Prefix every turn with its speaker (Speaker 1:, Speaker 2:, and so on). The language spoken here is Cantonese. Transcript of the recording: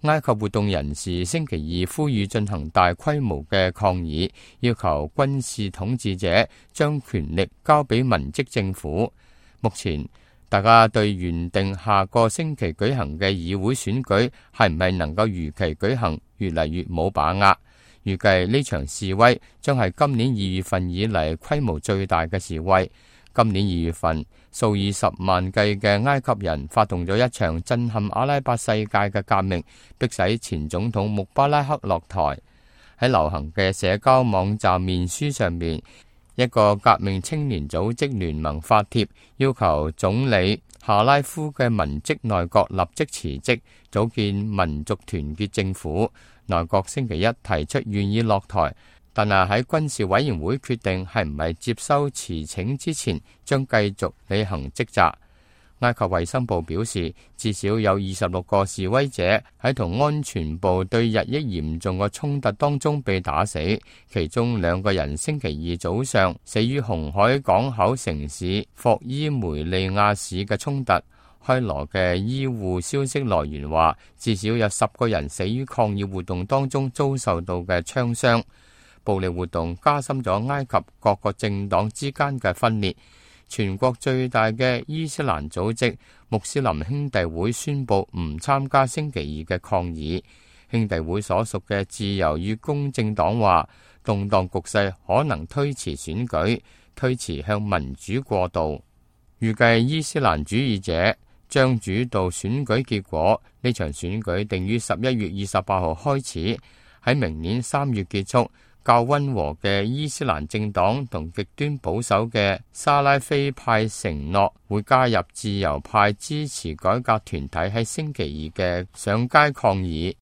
Speaker 1: 埃及活動人士星期二呼籲進行大規模嘅抗議，要求軍事統治者將權力交俾民職政府。目前，大家對原定下個星期舉行嘅議會選舉係唔係能夠如期舉行，越嚟越冇把握。預計呢場示威將係今年2月份以嚟規模最大嘅示威。今年2月份，數以十萬計嘅埃及人發動咗一場震撼阿拉伯世界嘅革命，迫使前總統穆巴拉克落台。喺流行嘅社交網站面書上面，一個革命青年組織聯盟發帖，要求總理夏拉夫嘅文職內閣立即辭職，組建民族團結政府。內閣星期一提出願意落台，但係喺軍事委員會決定係唔係接收辭請之前，將繼續履行職責。埃及衛生部表示，至少有26個示威者喺同安全部隊日益嚴重嘅衝突當中被打死，其中2個人星期二早上死於紅海港口城市霍伊梅利亞市嘅衝突。開羅嘅醫護消息來源話，至少有10個人死於抗議活動當中遭受到嘅槍傷。暴力活動加深咗埃及各個政黨之間嘅分裂。全國最大嘅伊斯蘭組織穆斯林兄弟會宣布唔參加星期二嘅抗議。兄弟會所屬嘅自由與公正黨話，動盪局勢可能推遲選舉，推遲向民主過渡。預計伊斯蘭主義者將主導選舉結果。呢場選舉定於11月28號開始，喺明年3月結束。較溫和嘅伊斯蘭政黨同極端保守嘅沙拉菲派承諾會加入自由派支持改革團體喺星期二嘅上街抗議。